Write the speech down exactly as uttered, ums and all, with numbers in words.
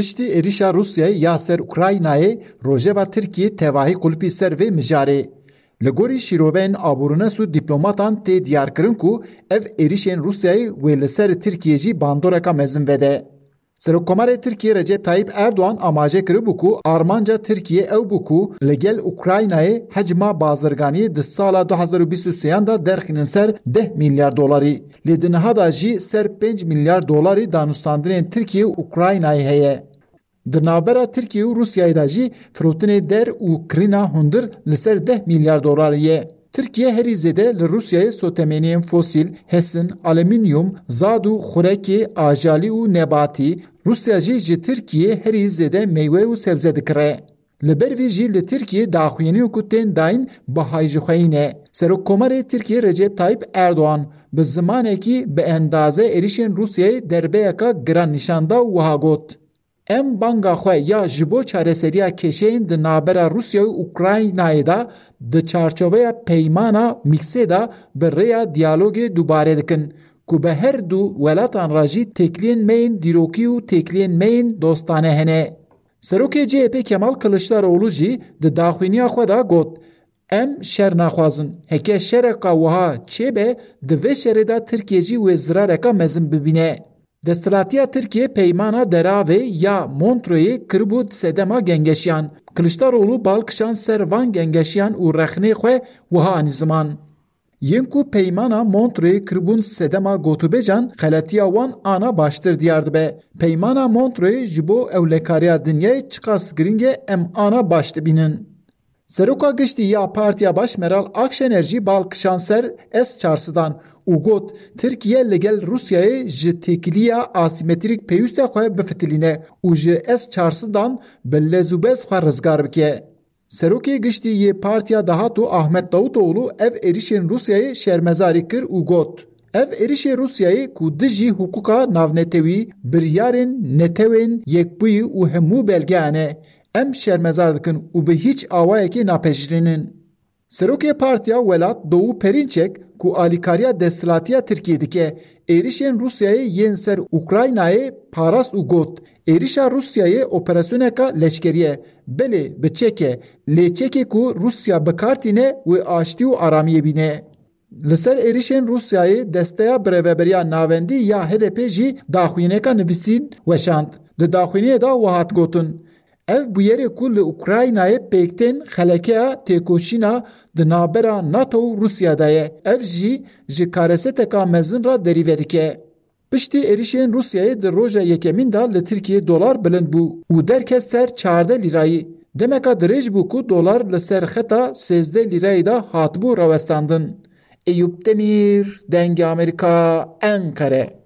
Piştî êrişa Rûsyayê ya ser Ukraynayê, rojeva Tirkiyê tevahî qulpî ser vê mijarê. Li gorî şîroveyên aborînes û dîplomatan tê diyarkirin ku ev êrişên Rûsyayê wê li ser Tirkiyê jî bandoreka mezin vede. Serokkomarê Tirkiyê Recep Tayyip Erdogan amaje kiribû ku armanca Tirkiyê ew bû ku li gel Ukraynayê hecma bazirganiyê di sala du hezar û bîst û sêyan de derxînin ser deh milyar dolarî. Lê di niha de jî ser pênc milyar dolarî danûstandinên Tirkiyê û Ukraynayê heye. Di navbera Tirkiye û Rûsyayê de jî firotinê der û kirîna hundir li ser deh milyar dolarî ye. Tirkiye herî zêde li Rûsyayê sotemeniyên fosîl, hesin, alumînyum, zad û xurekê ajalî û nebatî, Rûsya jî ji Tirkiyê herî zêde meywe û sebze dikire. Li ber vî jî li Tirkiyê daxuyaniyên ku tên dayîn bihayjixweyî ne. Serokkomarê Tirkiyê Recep Tayyip Erdogan bi zimanekî bi endaze êrişên Rûsyayê derbeyeka giran nîşan da û wiha got: Em banga xwe ya ji bo çareseriya kêşeyên di navbera Rûsya û Ukraynayê de di çarçoveya peymana Mîksê de bi rêya diyalogê dubare dikin ku bi her du welatan re jî têkiliyên me yên dîrokî û têkiliyên me yên dostane hene. Serokê C H P Kemal Kiliçdaroğlu jî di daxuyaniya xwe de got: Em şer naxwazin. Heke şereka wiha çêbe, di vê şerê de Tirkiye jî wê zirareka mezin bibîne. Desthilatiya Tirkiyê peymana deravê ya Montreuxê kiribû sedema gengeşiyan. Kiliçdaroğlu bal kişand ser van gengeşiyan û rexnê xwe wiha anî ziman: Yên ku peymana Montreuxê kiribûn sedema gotûbêjan, xeletiya wan ana baştir diyar dibe. Peymana Montreuxê ji bo ewlekariya dinyayê çiqas giring e, em ana baş dibînin. Seroka Giştî ya Partiya Baş Meral Akşener jî bal kişand ser S çar sedan û got: Tirkiye li gel Rûsyayê ji têkiliya asîmetrîk pêwîst e xwe bifitilîne û ji S çar sedan bi lez û bez xwe rizgar bike. Serokê Giştî yê Partiya Dahatû Ahmet Davutoğlu ev êrişên Rûsyayê şermezarî kir û got: Ev êrişê Rûsyayê ku dijî hiqûqa navnetewî, biryarên Netewên Yekbûyî û hemû belgeyan e, em şermezar dikin û bi hîç awayekê napejirînin. Serokê Partiya Welat Doğu Perinçek ku alîkariya desthilatiya Tirkiyê dike, êrişên Rûsyayê yên ser Ukraynayê parast û got: Êrişa Rûsyayê operasyoneka leşkerî ye. Belê, bi çek e, lê çekê ku Rûsya bi kar tîne wê aştî û aramiyê bîne. Li ser êrişên Rûsyayê Desteya Birêveberiya Navendî ya H D P jî daxuyaniyeka nivîsîn weşand. Di daxuyaniyê de wiha hat gotin: Ev bûyerê ku li Ukraynayê pêk tên xelekeya têkoşîna di navbera NATO û Rûsya de ye. Ev jî ji kareseteka mezin re derî vedike. Piştî êrişên Rûsyayê di roja yekemîn de li Tirkiyê dolar bilind bû û derket ser çardeh lîrayî. Demeka dirêj bû ku dolar li ser xeta sêzdeh lîrayî de hatibû rawestandin. Eyûp Demîr, Dengê Amerîka, Enqere.